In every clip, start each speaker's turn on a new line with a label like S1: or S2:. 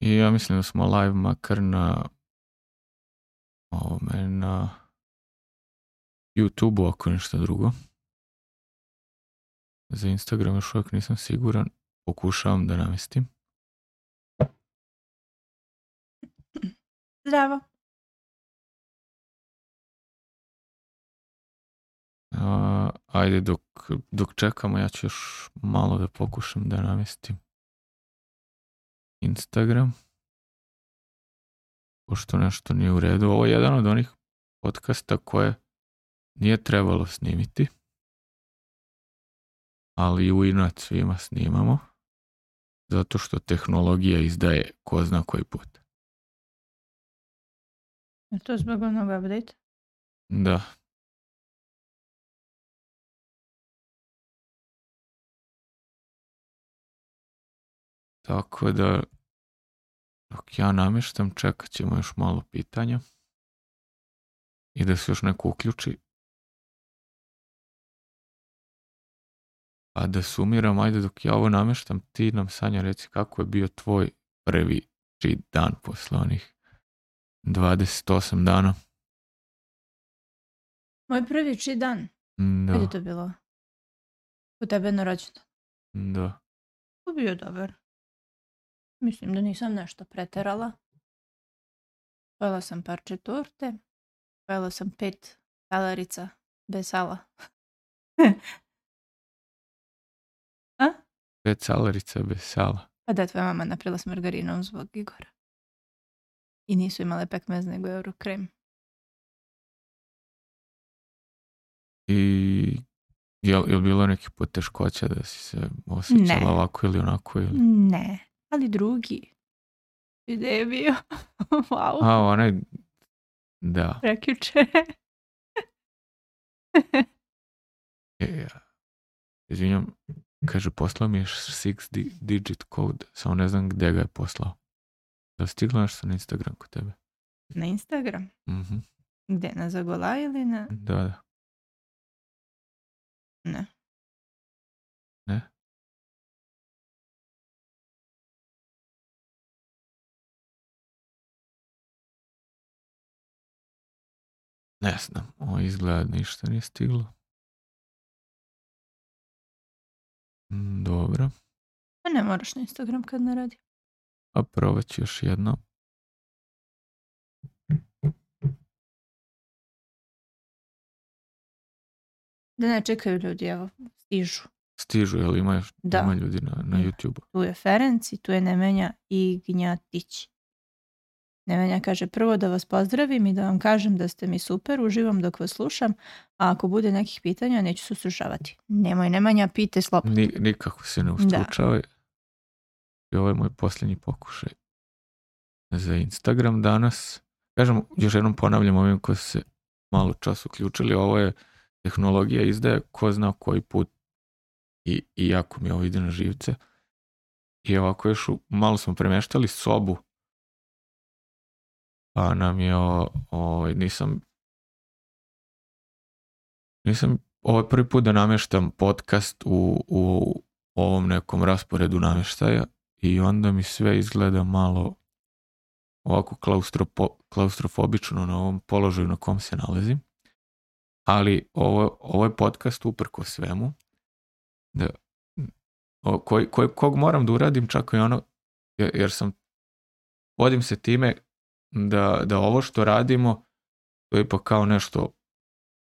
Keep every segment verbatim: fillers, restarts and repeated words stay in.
S1: I ja mislim da smo live makar na ovome, na YouTube-u ako ništa drugo. Za Instagram još uvijek nisam siguran. Pokušavam da namestim.
S2: Zdravo.
S1: A, ajde, dok, dok čekamo, ja ću još malo da pokušam da namestim Instagram. Pošto nešto nije u redu. Ovo je jedan od onih podcasta koje nije trebalo snimiti. Ali u inat svima snimamo. Zato što tehnologija izdaje ko zna koji put.
S2: Je to zbog onog update?
S1: Da. Tako da, dok ja namještam, čekat ćemo još malo pitanja. I da se još neko uključi. A da sumiram, ajde dok ja ovo namještam, ti nam, Sanja, reci kako je bio tvoj prvi cheat dan posle onih dvadeset osam dana.
S2: Moj prvi cheat dan?
S1: Da.
S2: Kad je to bilo? U tebe na rođendan?
S1: Da.
S2: To bio dobar. Mislim da nisam nešto preterala. Pojela sam parče torte. Pojela sam pet salarica bez sala. A?
S1: Pet salarica bez sala.
S2: Pa da, tvoja mama napravila s margarinom zbog Igora. I nisu imale pekmez nego Eurokrem.
S1: I je li bilo neki poteškoća da si se osjećala
S2: ne.
S1: ovako ili onako? Ili?
S2: Ne, ali drugi. Gde je bio? Wow.
S1: A, onaj, da.
S2: Prekjuče.
S1: E, ja. Izvinjam, kaže, poslao mi je six digit code, samo ne znam gde ga je poslao. Da li stigla nešto na Instagram kod tebe?
S2: Na Instagram?
S1: Mhm.
S2: Gde, na Zagola ili na...
S1: Da, da.
S2: Ne.
S1: Ne? Ne znam, ovo izgleda ništa nije stiglo. Dobro.
S2: Pa ne moraš na Instagram kad ne radi.
S1: A probat ću još jedno.
S2: Da ne čekaju ljudi, evo, stižu.
S1: Stižu, jel ima, još,
S2: Da.
S1: ima ljudi na, na YouTube-u?
S2: Tu je Ferenc i tu je Nemanja Ignjatić. Nemanja kaže, prvo da vas pozdravim i da vam kažem da ste mi super, uživam dok vas slušam, a ako bude nekih pitanja neću se ustručavati. Nemoj, Nemanja, pite slobodno.
S1: Ni, nikako se ne ustručavaj. I ovo je moj posljednji pokušaj za Instagram danas. Kažem, još jednom ponavljam ovim koji su se malo čas uključili, ovo je tehnologija izdaje ko zna koji put i, i jako mi ovo ide na živce. I ovako još u, malo smo premeštali sobu, pa nam je o, o, nisam nisam ovo je prvi put da namještam podcast u, u ovom nekom rasporedu namještaja i onda mi sve izgleda malo ovako klaustropo, klaustrofobično na ovom položaju na kom se nalazim. Ali ovo, ovo je podcast uprko svemu. Da, o, koji, koji, kog moram da uradim čak i ono, jer, jer sam, vodim se time da, da ovo što radimo to je ipak kao nešto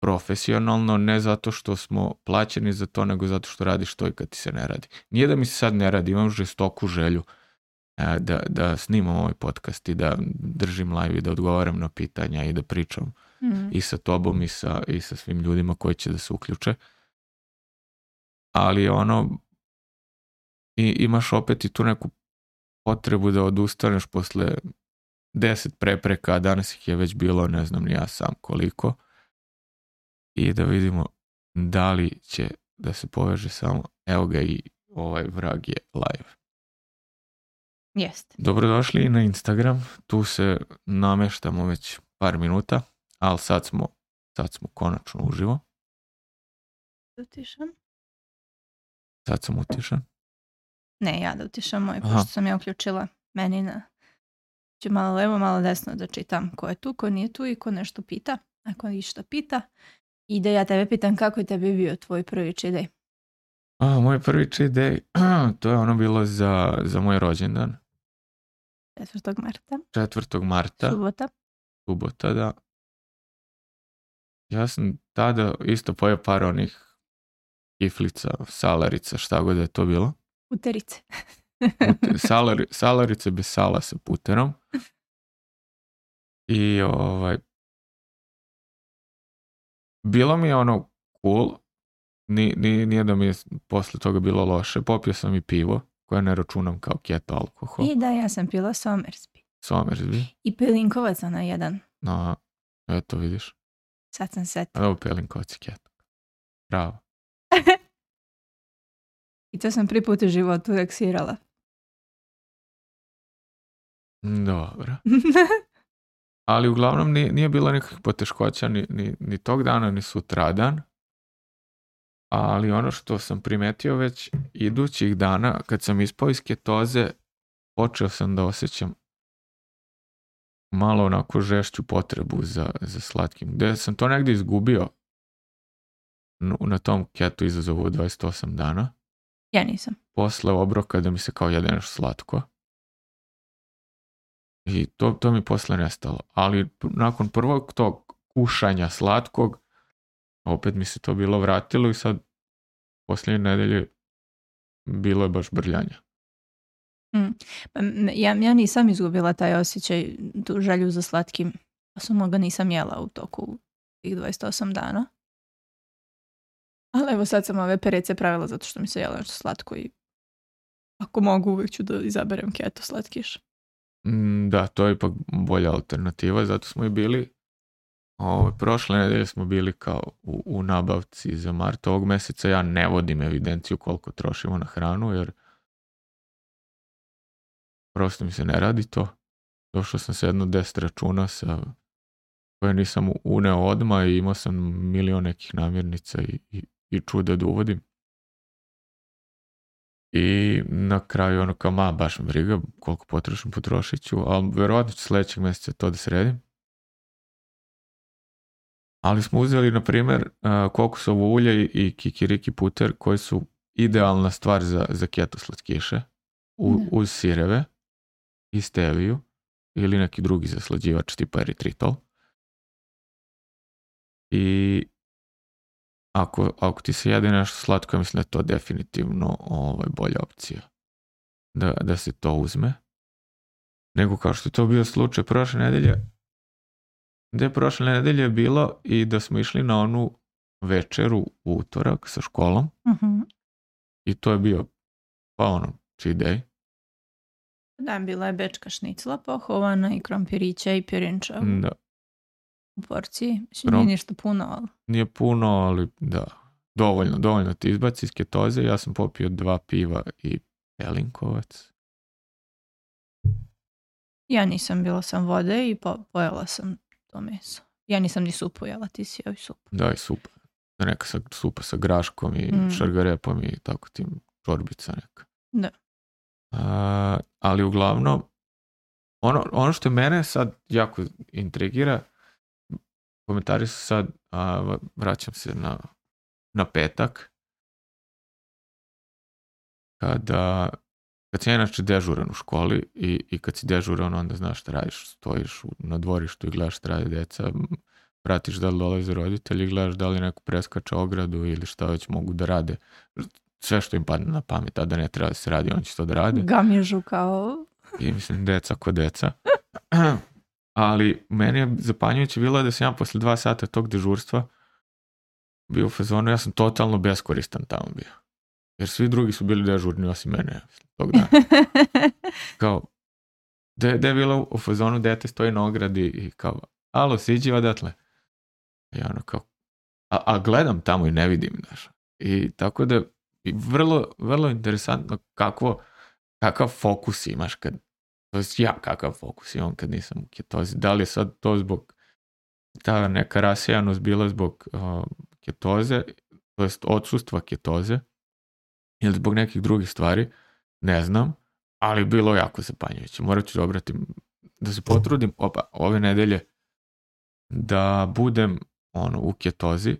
S1: profesionalno, ne zato što smo plaćeni za to, nego zato što radiš to i kad ti se ne radi. Nije da mi se sad ne radi, imam žestoku želju e, da, da snimam ovaj podcast i da držim live i da odgovaram na pitanja i da pričam mm. i sa tobom i sa, i sa svim ljudima koji će da se uključe. Ali ono, i, imaš opet i tu neku potrebu da odustaneš posle deset prepreka, a danas ih je već bilo, ne znam ni ja sam koliko, i da vidimo da li će da se poveže samo, evo ga i ovaj vrag je live.
S2: Jeste.
S1: Dobrodošli i na Instagram, tu se nameštamo već par minuta, ali sad smo, sad smo konačno uživo.
S2: Utišan?
S1: Sad sam utišan.
S2: Ne, ja da utišam moj, pošto sam ja uključila meni na ću malo levo, malo desno da čitam ko je tu, ko nije tu i ko nešto pita. Ako ništa pita. I da ja tebe pitam kako je tebi bio tvoj prvi cheat day?
S1: A, moj prvi cheat day, to je ono bilo za, za moj rođendan.
S2: četvrtog marta.
S1: četvrtog marta.
S2: Subota.
S1: Subota, da. Ja sam tada isto pojeo par onih kiflica, salarica, šta god je to bilo.
S2: Puterice.
S1: Pute, salari, salarice bez sala sa puterom. I ovaj... Bilo mi je ono cool. Ni, ni, nije da mi je posle toga bilo loše. Popio sam i pivo, koje ne računam kao keto alkohol.
S2: I da, ja sam pila Somersby.
S1: Somersby.
S2: I Pelinkovac na jedan.
S1: No, eto vidiš.
S2: Sad sam setila.
S1: Evo Pelinkovac i keto. Bravo.
S2: I to sam prvi put u životu reksirala.
S1: Dobro. Ali uglavnom nije, nije bilo nikakvih poteškoća ni, ni, ni tog dana, ni sutradan. Ali ono što sam primetio već idućih dana, kad sam ispao iz ketoze, počeo sam da osjećam malo onako žešću potrebu za, za slatkim. Gde sam to negdje izgubio na tom keto izazovu od dvadeset osam dana.
S2: Ja nisam.
S1: Posle obroka da mi se kao jede nešto slatko. I to, to mi posle nestalo. Ali nakon prvog tog kušanja slatkog, opet mi se to bilo vratilo i sad posljednje nedelje bilo je baš brljanja.
S2: Mm. Pa, ja, ja nisam izgubila taj osjećaj, tu želju za slatkim. Pa samo ga nisam jela u toku tih dvadeset osam dana. Ali evo sad sam ove perece pravila zato što mi se jela nešto slatko i ako mogu uvijek ću da izaberem keto slatkiš.
S1: Mm, da, to je ipak bolja alternativa, zato smo i bili o, prošle nedelje smo bili kao u, u nabavci za mart ovog meseca. Ja ne vodim evidenciju koliko trošimo na hranu jer prosto mi se ne radi to. Došao sam sa jedno deset računa sa koje nisam uneo odmah i imao sam milion nekih namirnica i, i, i čuda da uvodim. I na kraju ono kao ma baš me briga koliko potrošim potrošit ću, ali verovatno ću sljedećeg mjeseca to da sredim. Ali smo uzeli na primjer kokosovo ulje i kikiriki puter koji su idealna stvar za, za keto slatkiše u, uz sireve i steviju ili neki drugi zaslađivač tipa eritritol. I ako, ako ti se jede nešto slatko, ja mislim da je to definitivno ovaj, bolja opcija da, da se to uzme. Nego kao što je to bio slučaj prošle nedelje, gde je prošle nedelje bilo i da smo išli na onu večeru u utorak sa školom.
S2: Uh-huh.
S1: I to je bio pa ono cheat day.
S2: Da, bila je bečka šnicla pohovana i krompirića i pirinča
S1: da.
S2: U porciji. Mislim, nije ništa puno, ali...
S1: Nije puno, ali da. Dovoljno, dovoljno ti izbaci iz ketoze. Ja sam popio dva piva i Pelinkovac.
S2: Ja nisam, bila sam vode i po, pojela sam to meso. Ja nisam ni supu jela, ti si jeo i supu.
S1: Da, i supa. Neka sa, supa sa graškom i mm. šargarepom i tako tim čorbica neka.
S2: Da.
S1: A, ali uglavnom, ono, ono što mene sad jako intrigira, komentari su sad, a, vraćam se na, na petak, kada, kad si inače dežuran u školi i, i kad si dežuran onda znaš šta radiš, stojiš na dvorištu i gledaš šta radi deca, pratiš da li dolaze roditelji, gledaš da li neko preskače ogradu ili šta već mogu da rade. Sve što im padne na pamet, tada ne treba da se radi, on će to da rade.
S2: Gamižu kao...
S1: I mislim, deca ko deca. Ali meni je zapanjujuće bilo da sam ja posle dva sata tog dežurstva bio u fazonu, ja sam totalno beskoristan tamo bio. Jer svi drugi su bili dežurni osim mene tog dana. Kao, da je bilo u fazonu, dete stoji na ogradi i kao, alo, siđi odatle. I ono kao, a, a gledam tamo i ne vidim, znaš. I tako da, i vrlo, vrlo interesantno kakvo, kakav fokus imaš kad, to je ja kakav fokus imam kad nisam u ketozi. Da li je sad to zbog, ta neka rasejanost bila zbog uh, ketoze, to jest odsustva ketoze, ili zbog nekih drugih stvari, ne znam, ali bilo jako zapanjujuće. Morat ću da obratim da se potrudim opa, ove nedelje da budem ono, u ketozi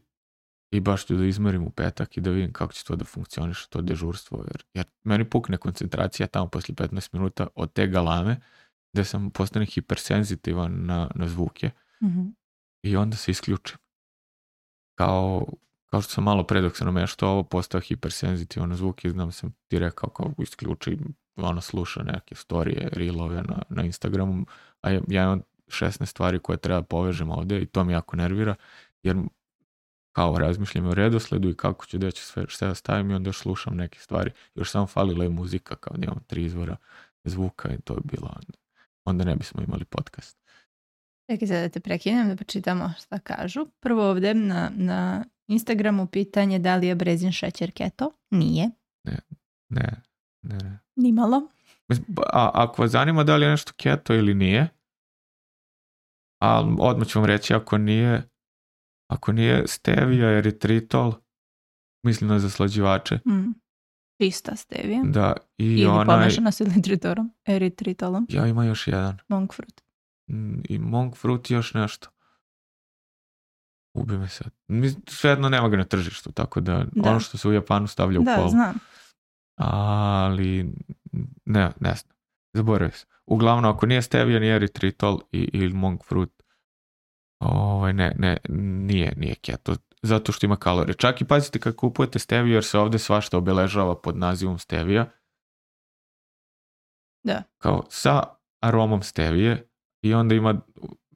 S1: i baš ću da izmerim u petak i da vidim kako će to da funkcioniše, to dežurstvo. Jer, jer meni pukne koncentracija tamo posle petnaest minuta od te galame gde sam postane hipersenzitivan na, na zvuke
S2: Mhm.
S1: i onda se isključim. Kao, kao što sam malo pre dok sam nameštao ovo postao hipersenzitivan na zvuke i znam sam ti rekao kao isključi, ono sluša neke storije, reelove na, na Instagramu, a ja, ja imam šesnaest stvari koje treba povežem ovde i to mi jako nervira, jer kao razmišljam o redosledu i kako ću da ću sve, sve da stavim i onda još slušam neke stvari. Još samo falila je muzika, kao da imam tri izvora zvuka i to je bilo onda. Onda ne bismo imali podcast.
S2: Čekaj sad da te prekinem da počitamo šta kažu. Prvo ovde na, na Instagramu pitanje da li je brezin šećer keto. Nije.
S1: Ne, ne, ne. ne.
S2: Nimalo.
S1: A ako vas zanima da li je nešto keto ili nije, a odmah ću vam reći ako nije, ako nije stevia, eritritol, mislim na zaslađivače.
S2: Mm. Čista stevija.
S1: Da, i
S2: Ili
S1: onaj...
S2: pomešana s eritritorom, eritritolom.
S1: Ja, ima još jedan.
S2: Monk fruit.
S1: I monk fruit i još nešto. Ubi me sad. Svejedno nema ga na tržištu, tako da, da. ono što se u Japanu stavlja u
S2: da,
S1: kolu.
S2: Da, znam.
S1: Ali ne, ne znam. Zaboravio sam. Uglavnom, ako nije stevia, ni eritritol i, ili monk fruit, ovaj, ne, ne, nije, nije keto. Zato što ima kalorije. Čak i pazite kad kupujete steviju, jer se ovde svašta obeležava pod nazivom stevija.
S2: Da.
S1: Kao sa aromom stevije i onda ima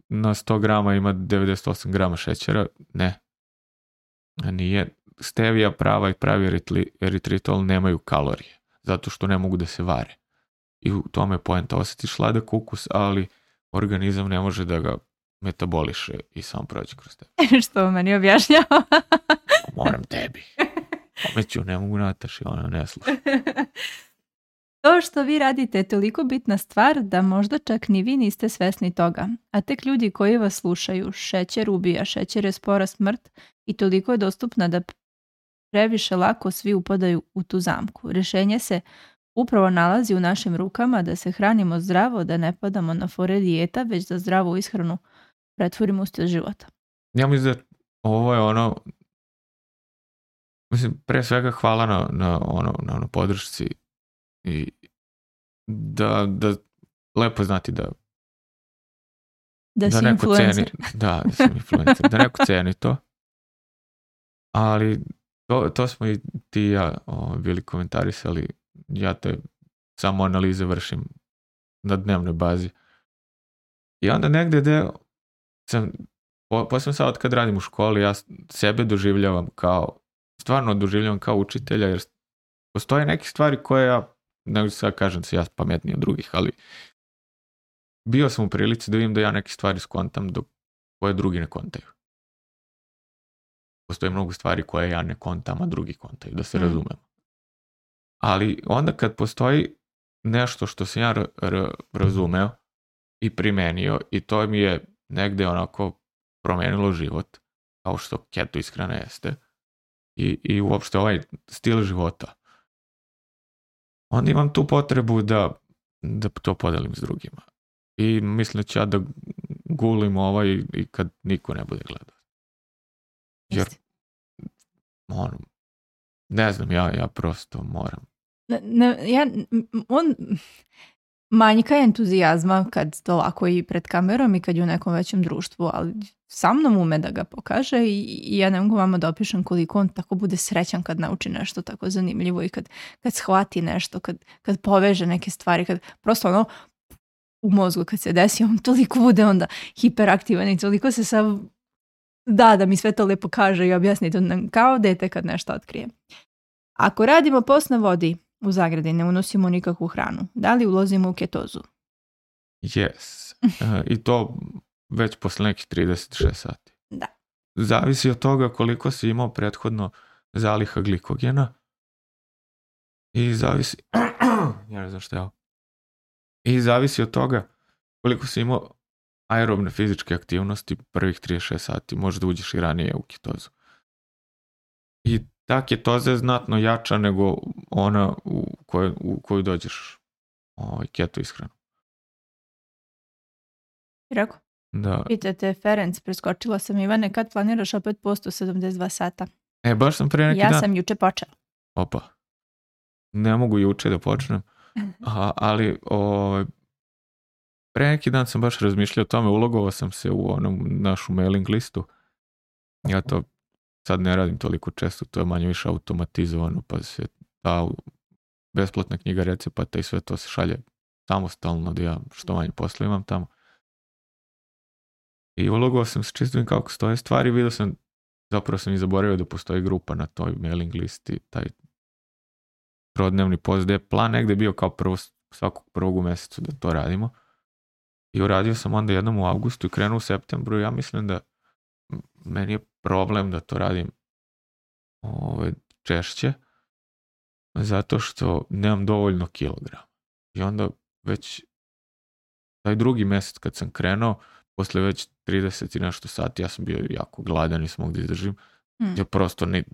S1: na sto grama ima devedeset osam grama šećera. Ne. Nije. Stevija prava i pravi eritli, eritritol nemaju kalorije. Zato što ne mogu da se vare. I u tome je poenta. Osjetiš sladak ukus, ali organizam ne može da ga metaboliše i sam prođe kroz tebe.
S2: Što meni objašnjava?
S1: Moram tebi. Omeću, ne mogu Nataši, ona ne sluša.
S2: To što vi radite je toliko bitna stvar da možda čak ni vi niste svesni toga. A tek ljudi koji vas slušaju, šećer ubija, šećer je spora smrt i toliko je dostupna da previše lako svi upadaju u tu zamku. Rješenje se upravo nalazi u našim rukama da se hranimo zdravo, da ne padamo na fore dijeta, već da zdravu ishranu pretvorimo u stil života.
S1: Ja mislim da ovo je ono, mislim, pre svega hvala na, na, ono, na ono podršci i da, da lepo znati da
S2: da,
S1: da
S2: si
S1: neko
S2: influencer.
S1: ceni, da, da sam influencer, da neko ceni to, ali to, to smo i ti i ja o, bili komentarisali, ja te samo analize vršim na dnevnoj bazi i onda negde gde sam, po, posebno sad kad radim u školi, ja sebe doživljavam kao, stvarno doživljavam kao učitelja, jer postoje neke stvari koje ja, ne sad kažem se ja pametniji od drugih, ali bio sam u prilici da vidim da ja neke stvari skontam dok koje drugi ne kontaju. Postoje mnogo stvari koje ja ne kontam, a drugi kontaju, da se mm. razumemo. Ali onda kad postoji nešto što sam ja r- r- razumeo i primenio i to mi je negde onako promenilo život, kao što keto ishrana jeste, i, i uopšte ovaj stil života, onda imam tu potrebu da, da to podelim s drugima. I mislim da ću ja da gulim ovaj i kad niko ne bude gledao. Jer, ono, ne znam, ja, ja prosto moram.
S2: Ne, ne, ja, on manjka entuzijazma kad to lako i pred kamerom i kad je u nekom većem društvu, ali sa mnom ume da ga pokaže i, i ja ne mogu vama da opišem koliko on tako bude srećan kad nauči nešto tako zanimljivo i kad, kad shvati nešto, kad, kad poveže neke stvari, kad prosto ono u mozgu kad se desi, on toliko bude onda hiperaktivan i toliko se sav da, da mi sve to lepo kaže i objasni to nam kao dete kad nešto otkrije. Ako radimo post na vodi, u zagradi ne unosimo nikakvu hranu, da li ulazimo u ketozu?
S1: Yes. Uh, I to već posle nekih trideset šest sati.
S2: Da.
S1: Zavisi od toga koliko si imao prethodno zaliha glikogena i zavisi ja ne znam šta je ovo. I zavisi od toga koliko si imao aerobne fizičke aktivnosti prvih trideset šest sati, možda uđeš i ranije u ketozu. I ta ketoza je znatno jača nego ona u koju, u koju dođeš ovaj, keto ishranu.
S2: I rekao?
S1: Da.
S2: Pitate Ferenc, preskočila sam Ivane, kad planiraš opet post u sedamdeset dva sata?
S1: E, baš sam pre neki
S2: ja
S1: dan...
S2: Ja sam juče počela.
S1: Opa. Ne mogu juče da počnem. A, ali o, pre neki dan sam baš razmišljao o tome, ulogovao sam se u onom našu mailing listu. Ja to sad ne radim toliko često, to je manje više automatizovano, pa se ta besplatna knjiga recepata i sve to se šalje samostalno, da ja što manje posla imam tamo. I ulogovao sam se čisto kako stoje stvari, vidio sam, zapravo sam i zaboravio da postoji grupa na toj mailing listi, taj trodnevni post, gde je plan negde bio kao prvo, svakog prvog u mesecu da to radimo. I uradio sam onda jednom u avgustu i krenuo u septembru. Ja mislim da meni je problem da to radim ove, češće, zato što nemam dovoljno kilograma. I onda već taj drugi mesec kad sam krenuo, posle već trideset i nešto sati, ja sam bio jako gladan i sam mogu da izdržim. Hmm. Ja prosto ne,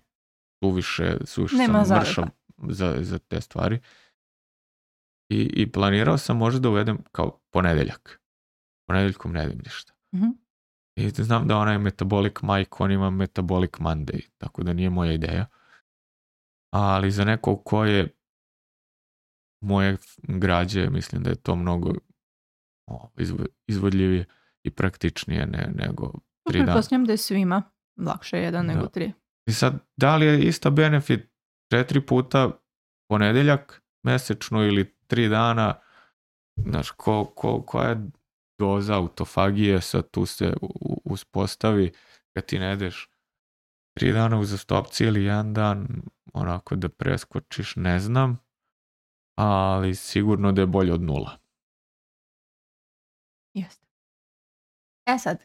S1: suviše, suviše sam mršav za, za te stvari. I, I planirao sam možda da uvedem kao ponedeljak. Ponedeljkom ne jedem ništa.
S2: Mm-hmm.
S1: I znam da onaj Metabolic Mike, on ima Metabolic Monday, tako da nije moja ideja. Ali za nekog ko je moje građe, mislim da je to mnogo o, izvodljivije i praktičnije ne, nego tri dana.
S2: Pretpostavljam da je svima lakše jedan
S1: da.
S2: nego tri.
S1: I sad, da li je ista benefit četiri puta ponedeljak mesečno ili tri dana, znaš, ko, ko, koja je doza autofagije sad tu se uspostavi kad ti ne jedeš tri dana uzastopci ili jedan dan onako da preskočiš, ne znam, ali sigurno da je bolje od nula.
S2: Jeste. E sad,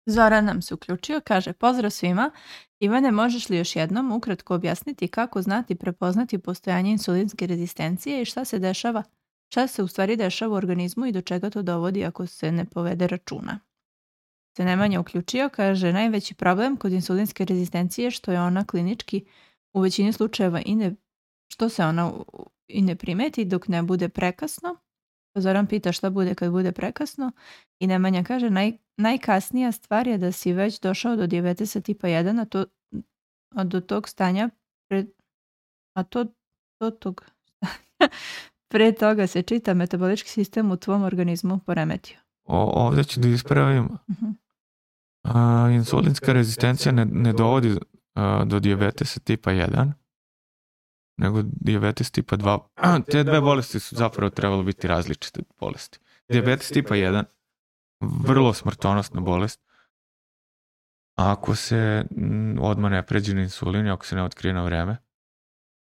S2: Zoran nam se uključio, kaže: pozdrav svima. Ivane, možeš li još jednom ukratko objasniti kako znati prepoznati postojanje insulinske rezistencije i šta se dešava, šta se u stvari dešava u organizmu i do čega to dovodi ako se ne povede računa? Se Nemanja uključio, kaže: najveći problem kod insulinske rezistencije što je ona klinički u većini slučajeva i ne, što se ona i ne primeti dok ne bude prekasno. Zoran pita šta bude kad bude prekasno i Nemanja kaže: naj, najkasnija stvar je da si već došao do dijabetesa tipa jedan, a, to, a do tog stanja pre, a to do tog pre toga se čita metabolički sistem u tvom organizmu poremetio.
S1: O, ovdje ću da ispravim.
S2: Uh-huh.
S1: A, insulinska rezistencija ne, ne dovodi a, do dijabetesa tipa jedan, nego dijabetes tipa dva. Te dve bolesti su zapravo trebalo biti različite bolesti. Dijabetes tipa jedan, vrlo smrtonosna bolest. Ako se odmah ne pređe na insulin, ako se ne otkrije na vreme,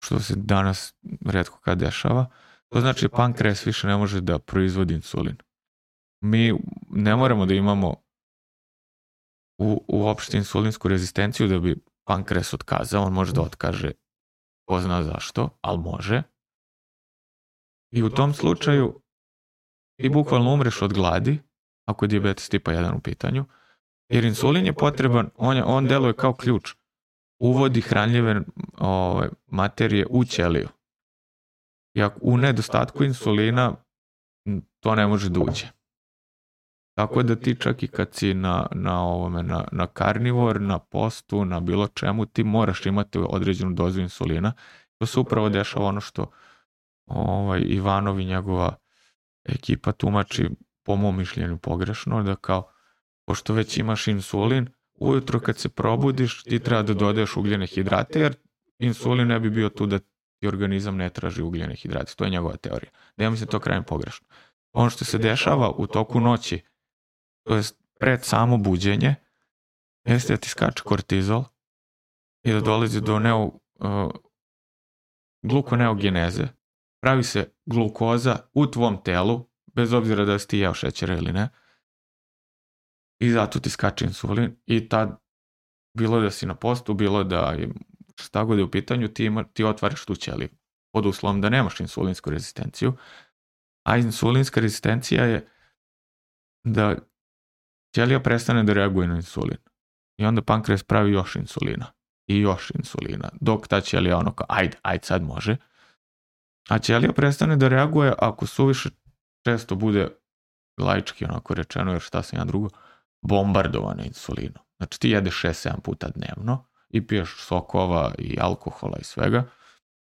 S1: što se danas retko kad dešava, to znači da pankreas više ne može da proizvodi insulin. Mi ne moramo da imamo u, uopšte insulinsku rezistenciju da bi pankreas otkazao, on može da otkaže, ko zna zašto, ali može. I u tom slučaju ti bukvalno umreš od gladi, ako je dijabetes tipa jedan u pitanju, jer insulin je potreban, on, je, on deluje kao ključ, uvodi hranljive ove, materije u ćeliju. I ako u nedostatku insulina to ne može da uđe. Tako da ti čak i kad si na, na, ovome, na, na karnivor, na postu, na bilo čemu, ti moraš imati određenu dozu insulina. To se upravo dešava ono što ovaj, Ivanov i njegova ekipa tumači, po mom mišljenju pogrešno, da kao, pošto već imaš insulin, ujutro kad se probudiš ti treba da dodaješ ugljene hidrate, jer insulin ne bi bio tu da ti organizam ne traži ugljene hidrate. To je njegova teorija. Da ja mislim to krajem pogrešno. Ono što se dešava u toku noći, to je pred samo buđenje, jeste da ti skače kortizol i da dolazi do neo, uh, glukoneogeneze. Pravi se glukoza u tvom telu, bez obzira da si ti jeo šećera ili ne, i zato ti skače insulin i tad, bilo da si na postu, bilo da je šta god je u pitanju, ti, ima, ti otvaraš tu ćeliju pod uslovom da nemaš insulinsku rezistenciju, a insulinska rezistencija je da ćelija prestane da reaguje na insulin i onda pankreas pravi još insulina i još insulina, dok ta ćelija ono kao ajde, ajde sad može, a ćelija prestane da reaguje ako suviše često bude laički onako rečeno, jer šta sam ja drugo, bombardovana insulinom. Znači ti jedeš šest sedam puta dnevno i piješ sokova i alkohola i svega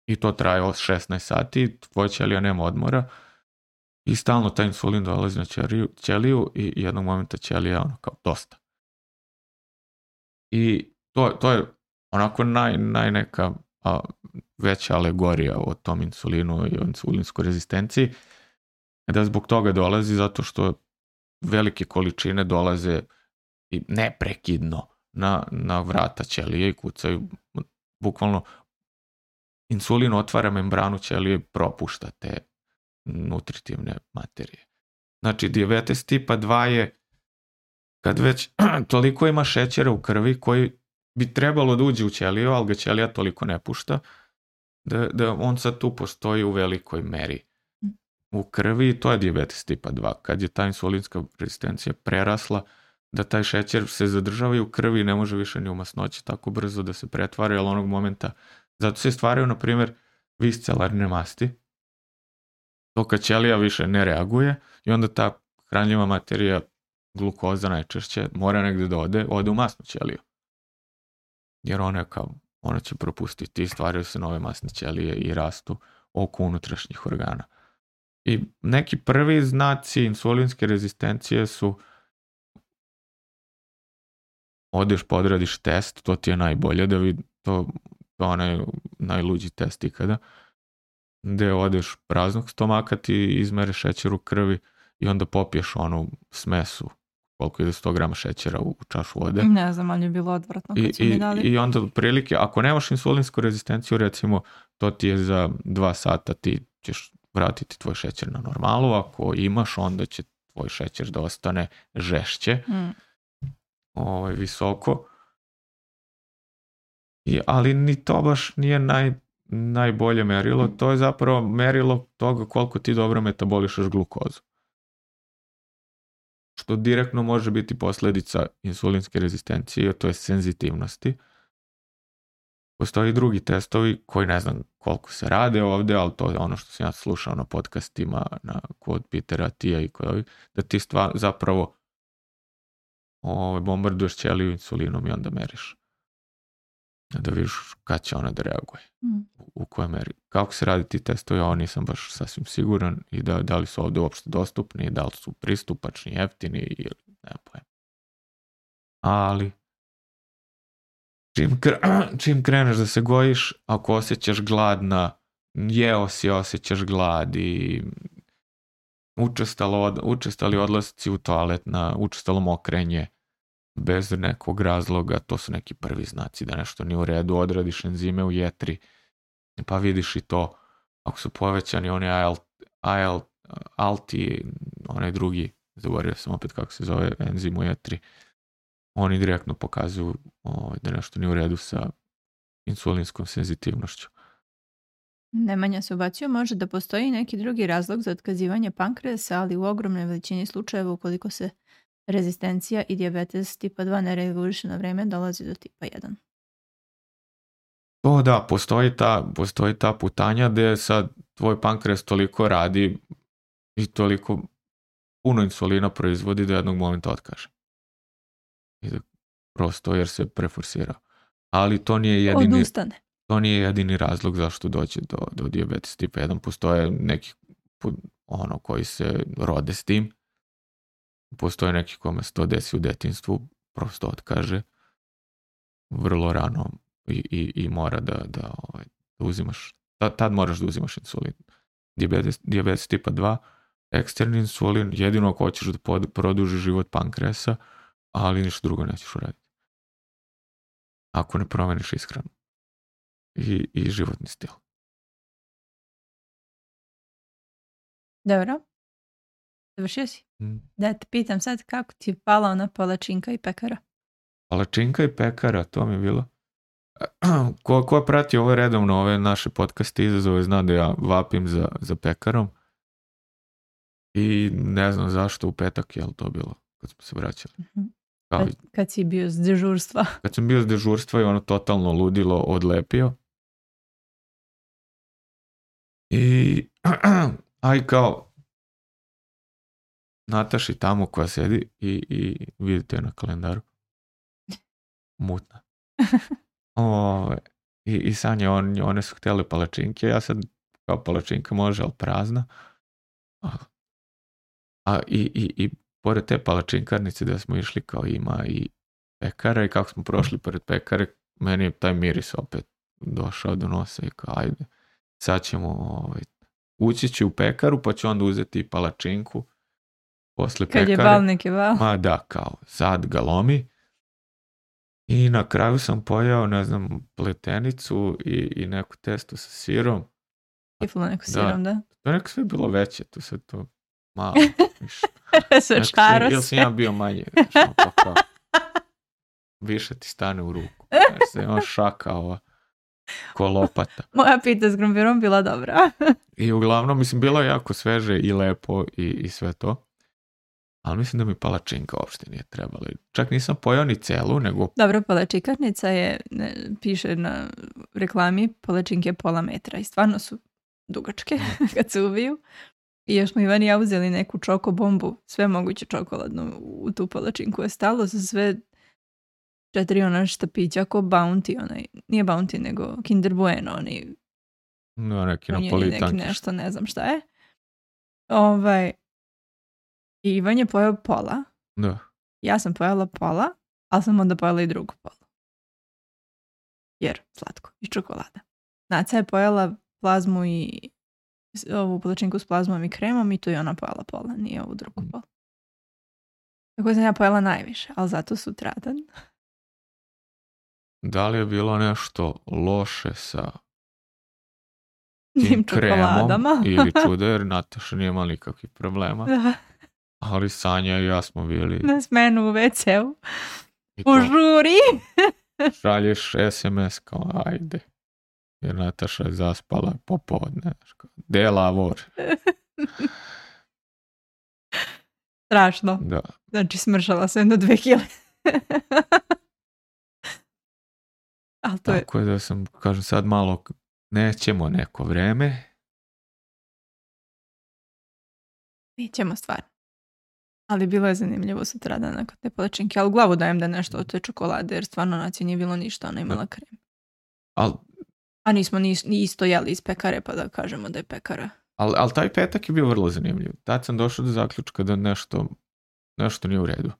S1: i to traje od šesnaest sati, tvoja ćelija nema odmora i stalno taj insulin dolazi na ćeliju, ćeliju i jednog momenta ćelija ono kao dosta. I to, to je onako naj, naj neka a, veća alegorija o tom insulinu i o insulinskoj rezistenciji, da zbog toga dolazi zato što velike količine dolaze i neprekidno na, na vrata ćelije i kucaju. Bukvalno insulin otvara membranu ćelije i propušta te nutritivne materije. Znači, dijabetes tipa dva je kad već toliko ima šećera u krvi koji bi trebalo da uđe u ćeliju, ali ga ćelija toliko ne pušta, da, da on sad tu postoji u velikoj meri u krvi i to je dijabetes tipa dva. Kad je ta insulinska rezistencija prerasla, da taj šećer se zadržava i u krvi i ne može više ni u masnoći tako brzo da se pretvara, ali onog momenta, zato se stvaraju, na primjer, viscelarne masti, to kad ćelija više ne reaguje i onda ta hranljiva materija, glukoza najčešće, mora negde da ode, ode u masnu ćeliju. Jer ona, kao, ona će propustiti i stvaraju se nove masne ćelije i rastu oko unutrašnjih organa. I neki prvi znaci insulinske rezistencije su odeš pa odradiš test, to ti je najbolje da vidi, to, to onaj najluđi test ikada, gde odeš praznog stomaka, ti izmere šećer u krvi i onda popiješ onu smesu, koliko je sto grama šećera u, u čašu vode.
S2: Ne znam, ali je bilo odvratno kad su
S1: I,
S2: mi dali.
S1: I onda prilike, ako nemaš insulinsku rezistenciju, recimo, to ti je za dva sata, ti ćeš vratiti tvoj šećer na normalu, ako imaš, onda će tvoj šećer da ostane žešće, mm. ovaj, visoko. I, ali ni to baš nije naj, najbolje merilo, to je zapravo merilo toga koliko ti dobro metabolišaš glukozu. Što direktno može biti posljedica insulinske rezistencije, to je senzitivnosti. Postoji i drugi testovi koji ne znam koliko se rade ovde, ali to je ono što sam ja slušao na podcastima na, kod Petera Tija i kod ovih, da ti stva, zapravo ovaj, bombarduješ ćeliju insulinom i onda meriš. Da vidiš kad će ona da reaguje. Mm. U, u kojoj meri. Kako se radi ti testovi, ja nisam baš sasvim siguran i da, da li su ovde uopšte dostupni, da li su pristupačni, jeftini ili ne pojem. Ali čim, kre, čim kreneš da se gojiš, ako osjećaš gladna, jeo si, osjećaš glad i učestalo, učestali odlasci u toalet, na učestalo mokrenje, bez nekog razloga, to su neki prvi znaci da nešto nije u redu, odradiš enzime u jetri, pa vidiš i to, ako su povećani oni A L, A L, alti, onaj drugi, zaboravio sam opet kako se zove enzim u jetri, oni direktno pokazuju o, da nešto nije u redu sa insulinskom senzitivnošću.
S2: Nemanja se ubacio, može da postoji neki drugi razlog za otkazivanje pankreasa, ali u ogromnoj veličini slučajeva ukoliko se rezistencija i dijabetes tipa dva ne reguliše na vreme, dolazi do tipa jedan.
S1: O da, postoji ta, postoji ta putanja gde sad tvoj pankreas toliko radi i toliko puno insulina proizvodi da jednog momenta otkaže. I da prosto jer se preforsira. Ali to nije jedini,
S2: odustane.
S1: To nije jedini razlog zašto dođe do, do dijabetes tipa jedan. Postoje neki ono koji se rode s tim. Postoje neki kome se to desi u detinjstvu, prosto otkaže vrlo rano i, i, i mora da, da, ovaj, da uzimaš, tad, tad moraš da uzimaš insulin. Dijabetes, dijabetes tipa dva, eksterni insulin, jedino ako hoćeš da pod, produži život pankreasa, ali ništa drugo nećeš uraditi. Ako ne promeniš ishranu i, i životni stil.
S2: Dobro. Završio si? Mm. Da te pitam sad kako ti je pala ona palačinka i pekara?
S1: Palačinka i pekara, to mi je bilo. Ko, ko prati ove redovno, ove naše podcaste izazove, zna da ja vapim za, za pekarom. I ne znam zašto u petak je li to bilo kad smo se vraćali.
S2: Mm-hmm. Kao, kad, kad si bio s dežurstva.
S1: Kad sam bio s dežurstva i ono totalno ludilo odlepio. I aj kao Nataši tamo koja sedi i, i vidite je na kalendaru. Mutna. O, i, I Sanja, on, one su htjeli palačinke, ja sad kao palačinka može, ali prazna. A, a i, i, i pored te palačinkarnice da smo išli kao ima i pekara i kako smo prošli pored pekare, meni je taj miris opet došao do nosa i kao ajde, sad ćemo ovaj, ući ću u pekaru pa ću onda uzeti palačinku posle
S2: Kad
S1: pekare.
S2: je bal, nek je bal.
S1: Ma da, kao sad ga lomi. I na kraju sam pojao, ne znam, pletenicu i, i neku testo sa sirom.
S2: Kiflo neko sirom, da.
S1: To je neko sve bilo veće, tu se to malo više.
S2: Sve škaro se.
S1: Ili sam ja bio manje, znaš, pa kao, više ti stane u ruku. Znaš, se ima šaka ova, ko lopata.
S2: Moja pita s grombirom bila dobra.
S1: I uglavnom, mislim, bilo je jako sveže i lepo i, i sve to. Ali mislim da mi palačinka uopšte nije trebala. Čak nisam pojao ni celu, nego...
S2: Dobro, palačinkarnica je, ne, piše na reklami, palačinke pola metra i stvarno su dugačke kad se uviju. I još smo Ivan i ja uzeli neku čoko bombu, sve moguće čokoladno u tu palačinku je stalo za sve četiri ona štapića ko Bounty, onaj, nije Bounty nego Kinder Bueno, onaj,
S1: No, neki
S2: on je
S1: napolitanki.
S2: neki nešto, ne znam šta je. Ovaj, i Ivan je pojao pola.
S1: Da.
S2: Ja sam pojela pola, ali sam onda pojela i drugu polu. Jer slatko i čokolada. Naca je pojela plazmu i ovu palačinku s plazmom i kremom i tu je ona pojela pola, nije ovu drugu polu. Tako sam ja pojela najviše, ali zato sutradan.
S1: Da li je bilo nešto loše sa
S2: Tim
S1: tim kremom
S2: čokoladama.
S1: ili čudo, jer Nataša nije imala nikakvih problema.
S2: Da,
S1: Ali Sanja i ja smo bili...
S2: na smenu u ve ceu.
S1: i
S2: U
S1: to
S2: žuri.
S1: šalješ es em es kao ajde. Jer Nataša je zaspala popodne. znaš, kao, De lavor.
S2: Strašno.
S1: Da.
S2: Znači smršala sam do dve kile. Ali to je,
S1: Tako je da sam, kažem sad malo, nećemo neko vreme.
S2: nećemo stvarno. Ali bilo je zanimljivo sutradan nakon te palačinke. Ali u glavu dajem da nešto od te čokolade, jer stvarno naci nije bilo ništa, ona je imala krem.
S1: Ali
S2: A nismo ni, ni isto jeli iz pekare, pa da kažemo da je pekara.
S1: al, al taj petak je bio vrlo zanimljiv. Tad sam došao do zaključka da nešto, nešto nije u redu.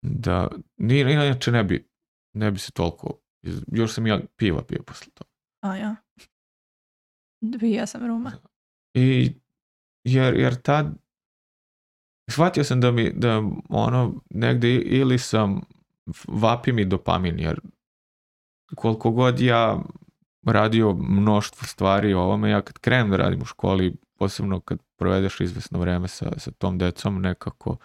S1: Da, ni, inače ne bi, ne bi se toliko, iz- još sam ja piva pio posle toga.
S2: A ja. Dvija sam ruma.
S1: I jer, jer tad shvatio sam da mi da ono negde ili sam vapi mi dopamin, jer koliko god ja radio mnoštvo stvari o ovome, ja kad krenem da radim u školi, posebno kad provedeš izvesno vreme sa, sa tom decom, nekako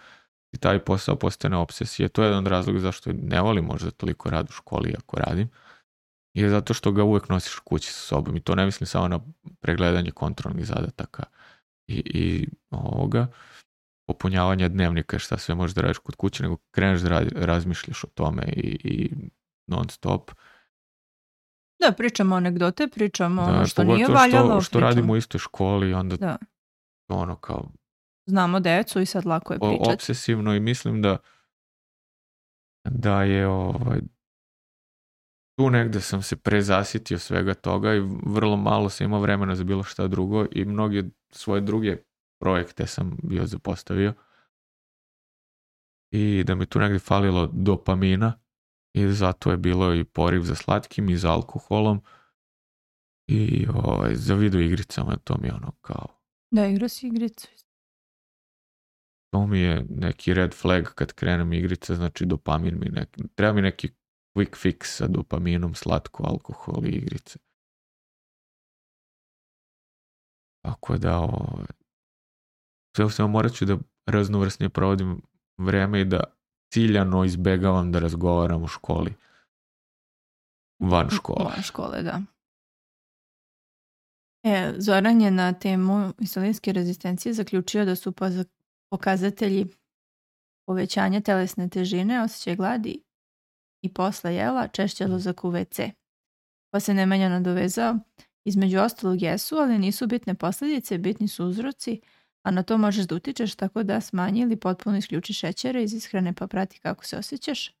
S1: i taj posao postane obsesija. To je jedan od razloga zašto ne volim možda toliko rad u školi ako radim. Je zato što ga uvek nosiš kući sa sobom i to ne mislim samo na pregledanje kontrolnih zadataka i, i ovoga popunjavanja dnevnika, šta sve možeš da radiš kod kuće, nego kreneš da radi, razmišljaš o tome i, i non stop.
S2: Da, pričamo anegdote, pričamo
S1: Da,
S2: ono što nije
S1: pogotovo
S2: valjalo.
S1: što, što
S2: pričamo-
S1: radimo u istoj školi, onda
S2: Da.
S1: ono kao
S2: Znamo decu i sad lako je
S1: o-
S2: pričati.
S1: obsesivno i mislim da da je ovaj tu negde sam se prezasitio svega toga i vrlo malo sam imao vremena za bilo šta drugo i mnoge svoje druge projekte sam bio zapostavio i da mi tu negde falilo dopamina i zato je bilo i poriv za slatkim i za alkoholom i ovaj, za video igricama, to mi je ono kao
S2: Da, igra si igricu.
S1: to mi je neki red flag kad krenem igrice, znači dopamin mi neki, treba mi neki quick fix sa dopaminom, slatko, alkohol i igrice. Tako da ovaj, sve u svemu morat ću da raznovrsnije provodim vreme i da ciljano izbegavam da razgovaram u školi. Van škole.
S2: Van škole, da. E, Zoran je na temu insulinske rezistencije zaključio da su poza- pokazatelji povećanja telesne težine, osjećaj gladi i posle jela češće odlazak u ve ce. Pa se Nemanja nadovezao, između ostalog jesu, ali nisu bitne posljedice, bitni su uzroci, A na to možeš da utičeš tako da smanji ili potpuno isključi šećere iz ishrane pa prati kako se osjećaš.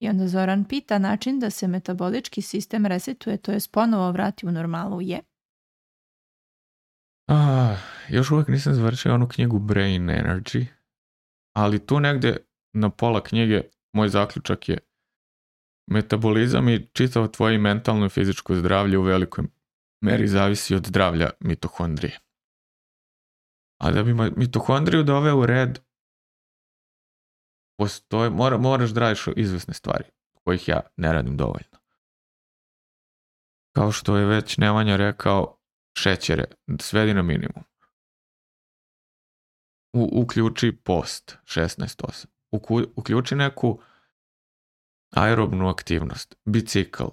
S2: I onda Zoran pita način da se metabolički sistem resetuje, to jest ponovo vrati u normalu je.
S1: Ah, još uvijek nisam završio onu knjigu Brain Energy, ali tu negdje na pola knjige moj zaključak je metabolizam i čitavo tvoje mentalno i fizičko zdravlje u velikoj meri zavisi od zdravlja mitohondrije. A da bi mitohondriju doveo u red, postoje, mora, moraš da radiš izvesne stvari, kojih ja ne radim dovoljno. Kao što je već Nemanja rekao, šećere, svedi na minimum. U, uključi post, šesnaest osam. Uku, uključi neku aerobnu aktivnost, bicikl,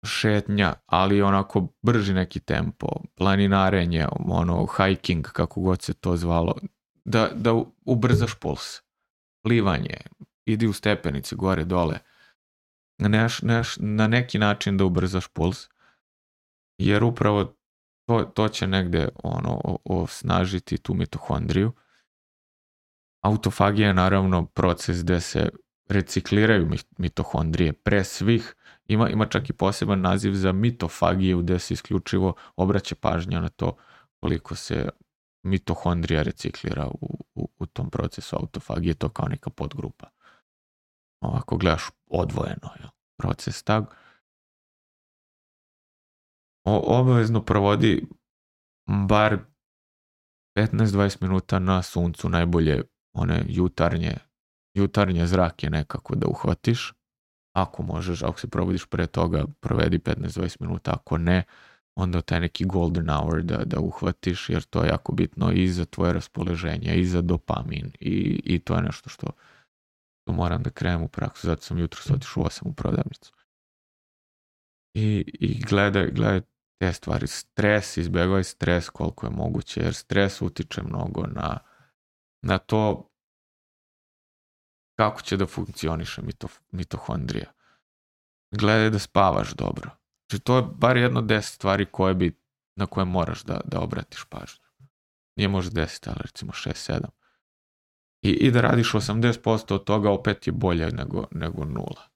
S1: šetnja, ali onako brži neki tempo, planinarenje, ono, hiking, kako god se to zvalo, da, da ubrzaš puls. Plivanje, idi u stepenice, gore, dole. Neš, neš, na neki način da ubrzaš puls, jer upravo to, to će negde ono, osnažiti tu mitohondriju. Autofagija je naravno proces gde se recikliraju mitohondrije pre svih. Ima, ima čak i poseban naziv za mitofagiju gde se isključivo obraća pažnja na to koliko se mitohondrija reciklira u, u, u tom procesu autofagije, to kao neka podgrupa. Ovako gledaš odvojeno je proces tag. O, obavezno provodi bar petnaest do dvadeset minuta na suncu, najbolje one jutarnje, jutarnje zrake nekako da uhvatiš. Ako možeš, ako se probudiš pre toga, provedi petnaest do dvadeset minuta, ako ne, onda taj neki golden hour da, da uhvatiš, jer to je jako bitno i za tvoje raspoloženje, i za dopamin, i, i to je nešto što, što moram da krenem u praksu, zato sam jutros otišao u osam u prodavnicu. I, i gledaj, gledaj te stvari, stres, izbjegavaj stres koliko je moguće, jer stres utiče mnogo na, na to kako će da funkcioniše mito, mitohondrija. Gledaj da spavaš dobro. Znači to je bar jedno deset stvari koje bi, na koje moraš da, da obratiš pažnju. Nije možda deset, ali recimo šest sedam. I, i da radiš osamdeset posto od toga opet je bolje nego, nego nula.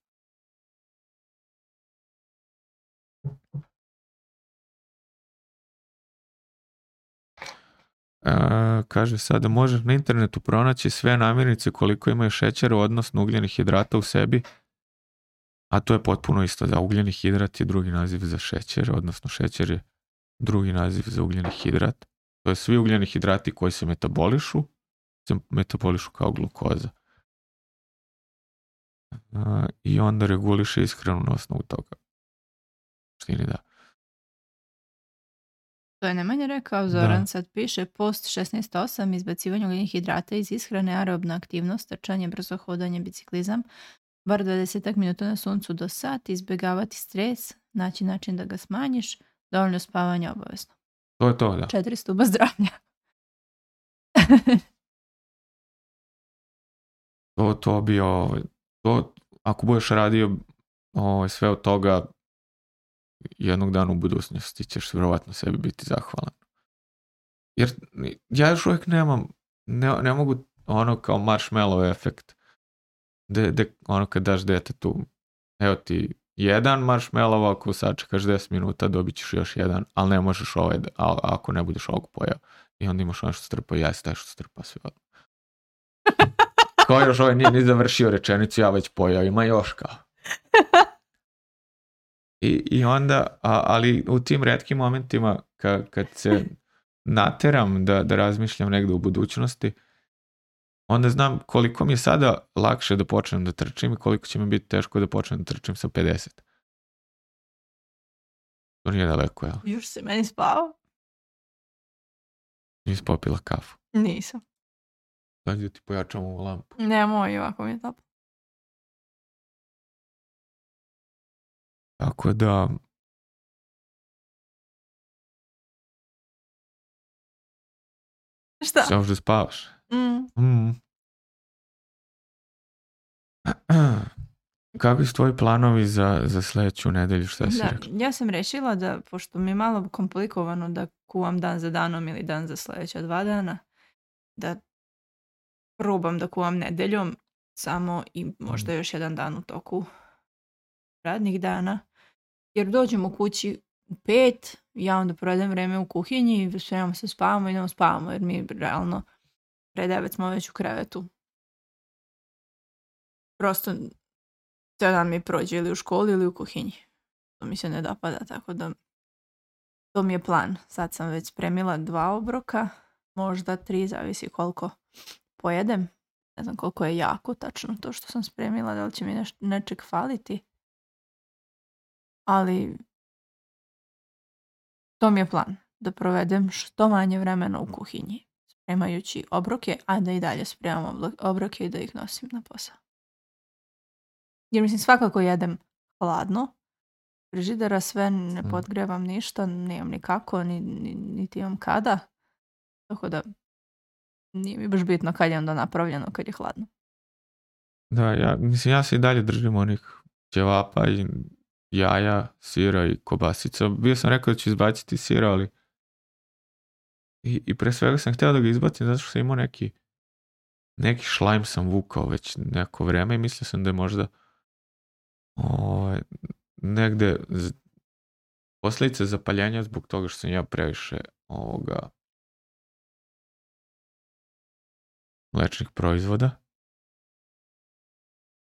S1: Uh, kaže sada, možeš na internetu pronaći sve namirnice koliko imaju šećera, odnosno ugljenih hidrata u sebi, a to je potpuno isto, da ugljeni hidrat je drugi naziv za šećer, odnosno šećer je drugi naziv za ugljeni hidrat. To je svi ugljeni hidrati koji se metabolišu, se metabolišu kao glukoza. Uh, I onda reguliše ishranu na osnovu toga. Štini da.
S2: To je Nemanja rekao, Zoran da. Sad piše post šesnaest osam, izbacivanje ugljenih hidrata iz ishrane, aerobna aktivnost, trčanje, brzo hodanje, biciklizam, bar dvadeset minuta na suncu do sat, izbjegavati stres, naći način da ga smanjiš, dovoljno spavanja obavezno.
S1: To je to, da.
S2: Četiri stuba zdravlja.
S1: to, to bi, o, to, ako budeš radio o, sve od toga, jednog dana u budućnosti ćeš vjerovatno sebi biti zahvalan. Jer ja još uvijek nemam, ne, ne mogu ono kao marshmallow efekt, de, de, ono kad daš detetu, evo ti jedan marshmallow, ako sačekaš deset minuta dobit ćeš još jedan, ali ne možeš ovaj, a, ako ne budeš ovog pojao. I onda imaš ono što strpa, ja si taj što strpa sve odmah. Kao još ovaj nije ni završio rečenicu, ja već pojao, ima još kao. I, i onda, a, ali u tim retkim momentima ka, kad se nateram da, da razmišljam negdje u budućnosti, onda znam koliko mi je sada lakše da počnem da trčim i koliko će mi biti teško da počnem da trčim sa pedeset. To nije daleko, jel?
S2: Još si meni spao?
S1: Nisi popila kafu?
S2: Nisam.
S1: Sad da ti pojačam ovu lampu.
S2: Nemoj, ovako mi je toplo.
S1: Tako da...
S2: Šta?
S1: Sve možda spavaš?
S2: Mm.
S1: Mm. Kakvi su tvoji planovi za, za sljedeću nedelju, šta si
S2: Da,
S1: rekla?
S2: ja sam rešila da, pošto mi je malo komplikovano da kuvam dan za danom ili dan za sljedeća dva dana, da probam da kuvam nedeljom samo i možda još jedan dan u toku radnih dana. Jer dođem u kući u pet, ja onda provedem vreme u kuhinji, spremamo se, spavamo i idemo spavamo, jer mi realno pre devet smo već u krevetu. Prosto cijel dan mi prođe ili u školi ili u kuhinji. To mi se ne dopada, tako da to mi je plan. Sad sam već spremila dva obroka, možda tri, zavisi koliko pojedem. Ne znam koliko je jako tačno to što sam spremila, da li će mi neš- nečeg faliti. Ali to mi je plan, da provedem što manje vremena u kuhinji, spremajući obroke, a da i dalje spremam oblo- obroke i da ih nosim na posao. Jer mislim, svakako jedem hladno, frižidera sve, ne
S1: Mm.
S2: podgrevam ništa, nemam ni kako, ni, ni, niti imam kada. Tako da nije mi baš bitno kad je onda napravljeno, kad je hladno.
S1: Da, ja, mislim, ja se i dalje držim onih ćevapa i jaja, sira i kobasica. Bio sam rekao da ću izbaciti sira, ali i, i pre svega sam htio da ga izbacim zato što sam imao neki neki šlajm sam vukao već neko vreme i mislio sam da je možda ovaj, negde z- posljedice zapaljenja zbog toga što sam ja previše ovoga mlečnih proizvoda.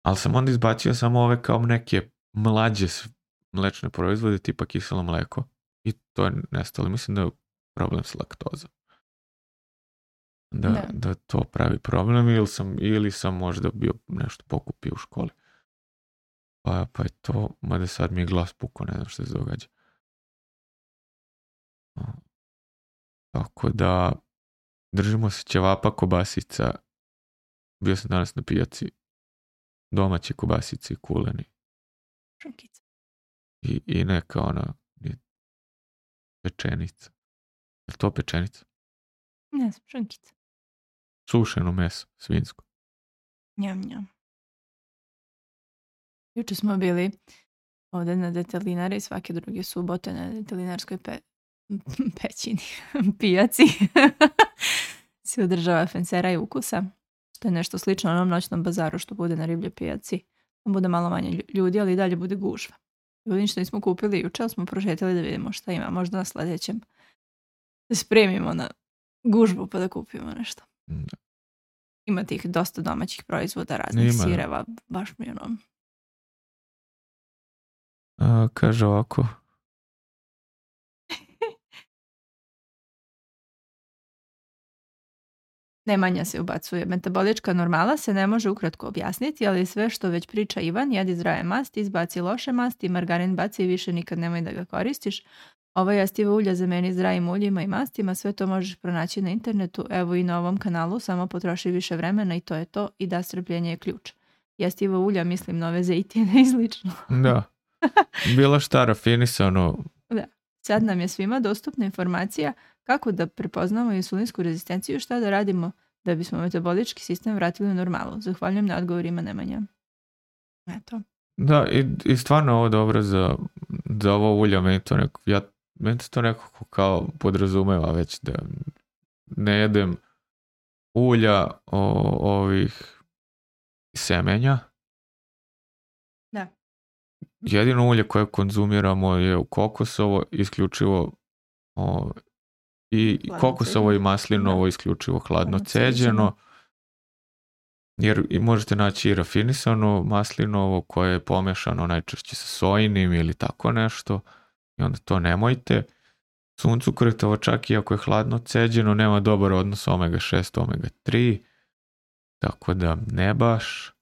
S1: Ali sam onda izbacio samo ove kao neke mlađe s- mlečne proizvode tipa kiselo mleko i to je nestalo. Mislim da je problem s laktozom. Da,
S2: Da.
S1: da to pravi problem ili sam, ili sam možda bio nešto pokupio u školi. Pa, pa je to, mada sad mi je glas pukao, ne znam što se događa. A, Tako da držimo se ćevapa, kobasica. Bio sam danas na pijaci, domaći kobasici i kuleni.
S2: Šunkica.
S1: I, i neka ona i pečenica. Je li to pečenica?
S2: Ne znam, šunkica.
S1: Sušeno meso, svinjsko.
S2: Njam, njam. Juče smo bili ovdje na detelinari svake druge subote na detelinarskoj pe... pećini, pijaci. Se održava Fencera i Ukusa. To je nešto slično onom noćnom bazaru što bude na Ribljoj pijaci. Tam bude malo manje lju- ljudi, ali i dalje bude gužva. Ljudi ništa nismo kupili juče, ali smo prošetali da vidimo šta ima. Možda na sljedećem da spremimo na gužvu pa da kupimo nešto.
S1: Da.
S2: Ima tih dosta domaćih proizvoda, raznih
S1: Ima, da.
S2: sireva, baš mi ono...
S1: A, kaže ovako.
S2: Nemanja se ubacuje. Metabolička normala se ne može ukratko objasniti, ali sve što već priča Ivan, jedi zdrave masti, izbaci loše masti, margarin baci i više nikad nemoj da ga koristiš. Ova jastiva ulja zameni zdravim uljima i mastima, sve to možeš pronaći na internetu, evo i na ovom kanalu, samo potroši više vremena i to je to, i da strpljenje je ključ. Jastiva ulja, mislim nove zejtine i slično.
S1: Da. Bilo šta rafinisano.
S2: Sad nam je svima dostupna informacija kako da prepoznamo insulinsku rezistenciju, šta da radimo da bismo metabolički sistem vratili u normalu. Zahvaljujem na odgovorima, Nemanja. Eto.
S1: Da, i, i stvarno je ovo dobro za, za ovo ulja. Meni to, neko, ja, meni to nekako kao podrazumeva već da ne jedem ulja o, ovih semenja.
S2: Da.
S1: Jedino ulje koje konzumiramo je u kokosovo, isključivo o, i
S2: Hladno
S1: kokosovo
S2: ceđeno.
S1: i maslinovo
S2: Da.
S1: isključivo hladno
S2: Hladno
S1: ceđeno.
S2: ceđeno.
S1: Jer i možete naći i rafinisano maslinovo koje je pomešano najčešće sa sojinim ili tako nešto. I onda to nemojte. Suncokretovo čak i ako je hladno ceđeno nema dobar odnos omega šest, omega tri. Tako da ne baš.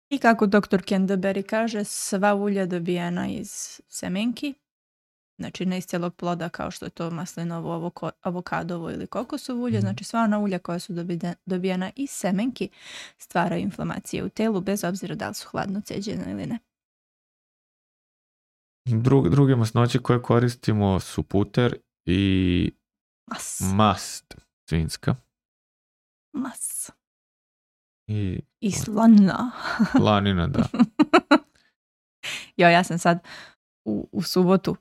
S2: I kako doktor Canterbury kaže, sva ulja dobijena iz semenki, znači ne iz cijelog ploda kao što je to maslinovo, avoko- avokadovo ili kokosovo ulje,
S1: Mhm.
S2: znači sva ona ulja koja su dobide- dobijena iz semenki stvaraju inflamacije u telu bez obzira da li su hladno ceđene ili ne.
S1: Dru, druge masnoće koje koristimo su puter i
S2: Mas.
S1: mast svinjska.
S2: Mas.
S1: I
S2: I slana.
S1: lanina, da.
S2: Jo, ja sam sad u, u subotu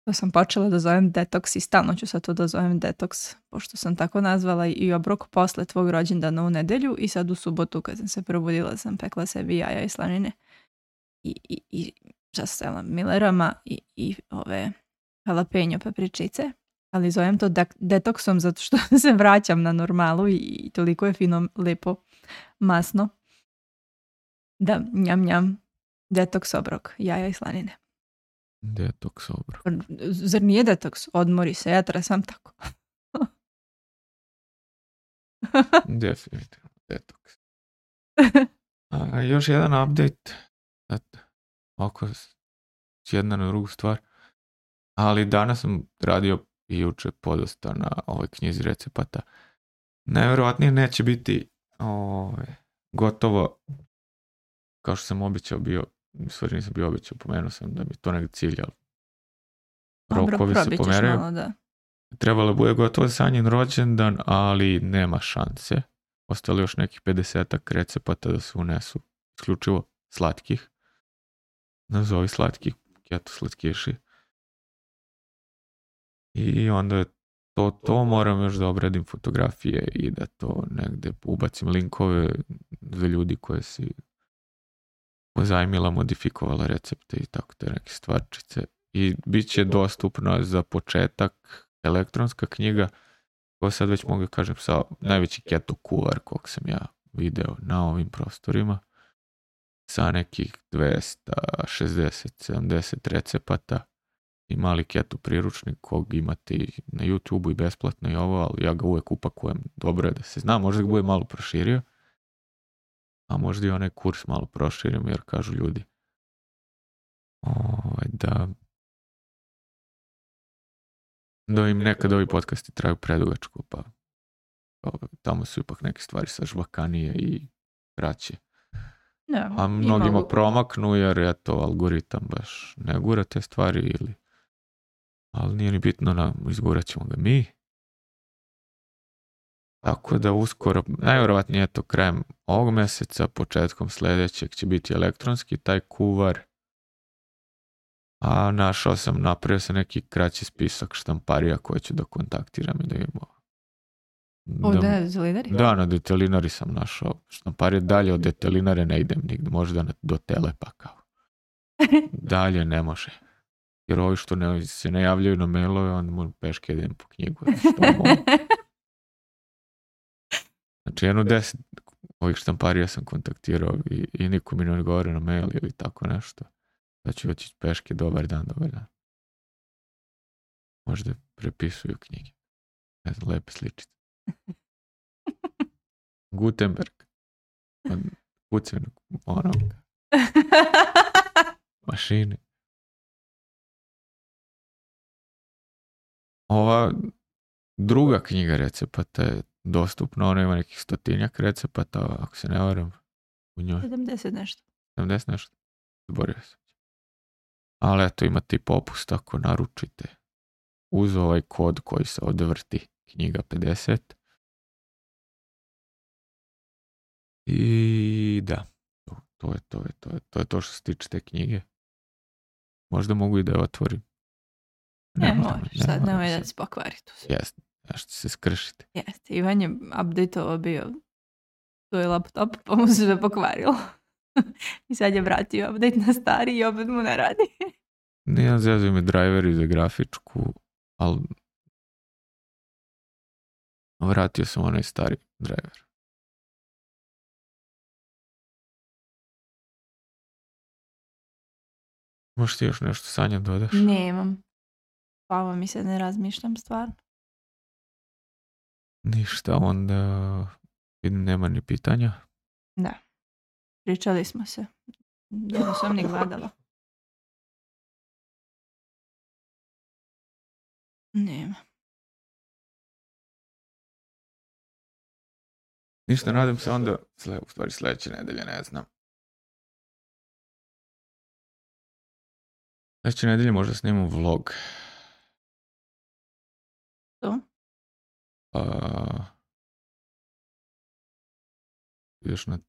S2: to sam počela da zovem detoks i stalno ću sad to da zovem detoks, pošto sam tako nazvala i obrok posle tvog rođendana u nedelju i sad u subotu kad sam se probudila sam pekla sebi jaja i slanine i, i, i častela milerama i, i ove jalapeño papričice, ali zovem to de- detoksom zato što se vraćam na normalu i, i toliko je fino, lepo, masno da njam njam detoks obrok, jaja i slanine.
S1: Detoks obrok.
S2: Zar nije detoks? Odmori se, ja tresam tako.
S1: Definitivno detoks. A, još jedan update. Eto, oko jedna na drugu stvar. Ali danas sam radio i juče podosta na ovoj knjizi recepata. Najvjerovatnije neće biti ovaj, gotovo kao što sam običao bio, stvari nisam bio običao, pomenuo sam da mi to negdje cilj, ali rokovi se pomeraju.
S2: Malo, da.
S1: Trebalo bude gotovo za njen rođendan, ali nema šanse. Ostali još nekih pedesetak recepata da se unesu, isključivo slatkih. Nazovi slatkih, keto slatkiši. I onda je to, to moram još da obradim fotografije i da to negde ubacim linkove za ljudi koje si pozajmila, modifikovala recepte i tako te neke stvarčice. I bit će dostupno za početak elektronska knjiga, koja sad već mogu kažem sa najveći keto kuvar kog sam ja video na ovim prostorima, sa nekih dvesta šezdeset sedamdeset recepata i mali keto priručnik kog imate i na YouTubeu i besplatno i ovo, ali ja ga uvek upakujem, dobro je da se zna, možda ga bude malo proširio, a možda i onaj kurs malo proširim, jer kažu ljudi ovaj, da da im nekad ovi podcasti traju predugačko, pa ovaj, tamo su ipak neke stvari sa žvakanije i kraće.
S2: Ja,
S1: a mnogima mogu promaknu, jer eto, algoritam baš ne gura te stvari, ili ali nije ni bitno, na, izgurat ćemo ga mi. Tako da uskoro, najvjerovatnije eto krajem ovog mjeseca, početkom sljedećeg će biti elektronski taj kuvar. A našao sam, napravio sam neki kraći spisak štamparija koje ću da kontaktiram i da imamo.
S2: O, da, da, Detelinari?
S1: Da, na Detelinari sam našao štamparije. Dalje od Detelinare ne idem nigde, možda na, do Telepa kao. Dalje ne može. Jer ovi što ne, se ne javljaju na mailove, onda moram peške idem po knjigu. Što mogu. Znači, jedno deset ovih štamparija sam kontaktirao i, i niko mi ne odgovore na mail ili tako nešto. Da ću oći peške, dobar dan, dobar dan. Možda prepisuju knjige. Ne znam, lepe sličice. Gutenberg. Od kucanog onog. Mašine. Ova druga knjiga recepata je dostupna, ona ima nekih stotinjak recepata, ako se ne varam u njoj.
S2: sedamdeset nešto.
S1: sedamdeset nešto. Zborio sam. Ali eto, imate i popust ako naručite uz ovaj kod koji se odvrti, knjiga pedeset. I da, to, to je to, je, to, je, to je to što se tiče te knjige. Možda mogu i da je otvorim.
S2: Ne, ne možeš, sad nemoj da se pokvari tu.
S1: Jeste, nešto se skršite.
S2: Jeste, Ivan je update-ovo bio svoj laptop, pa mu se pokvarilo. I sad je vratio update na stari i opet mu ne radi.
S1: Nijem zezaju mi driveri za grafičku, ali vratio sam onaj stari driver. Možeš ti još nešto, Sanja, dodaš?
S2: Nemam. Pavo mi se, ne razmišljam stvarno.
S1: Ništa, onda vidim nema ni pitanja.
S2: Da. Pričali smo se. Da sam ni gledala. Nema.
S1: Ništa, nadam se onda, u stvari sljedeće nedelje, ne znam. Sljedeće nedelje možda snimam vlog.
S2: To?
S1: Uh, još na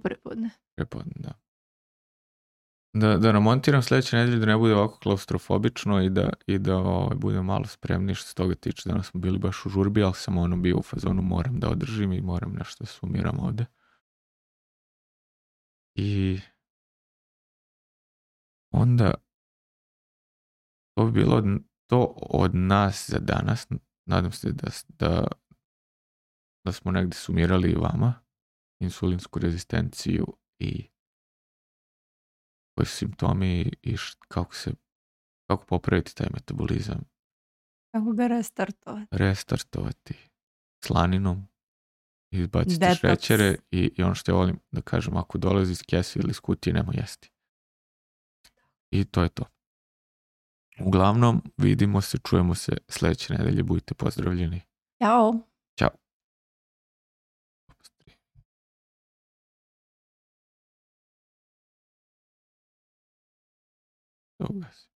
S2: prepodne.
S1: Prepodne, da. Da, da namontiram sljedeće nedelje da ne bude ovako klaustrofobično i da, i da ovaj, bude malo spremniji što se toga tiče. Danas smo bili baš u žurbi, ali sam ono bio u fazonu moram da održim i moram nešto da sumiram ovde. I onda to bi bilo to od nas za danas. Nadam se da, da, da smo negdje sumirali i vama insulinsku rezistenciju i koji su simptomi i š, kako se kako popraviti taj metabolizam.
S2: Kako ga restartovati?
S1: Restartovati slaninom, izbaciti
S2: Detox.
S1: šećere i, i ono što ja volim da kažem, ako dolazi iz kese ili iz kutije, nemoj jesti. I to je to. Uglavnom, vidimo se, čujemo se sljedeće nedelje, budite pozdravljeni.
S2: Ćao.
S1: Ćao. Ugasio.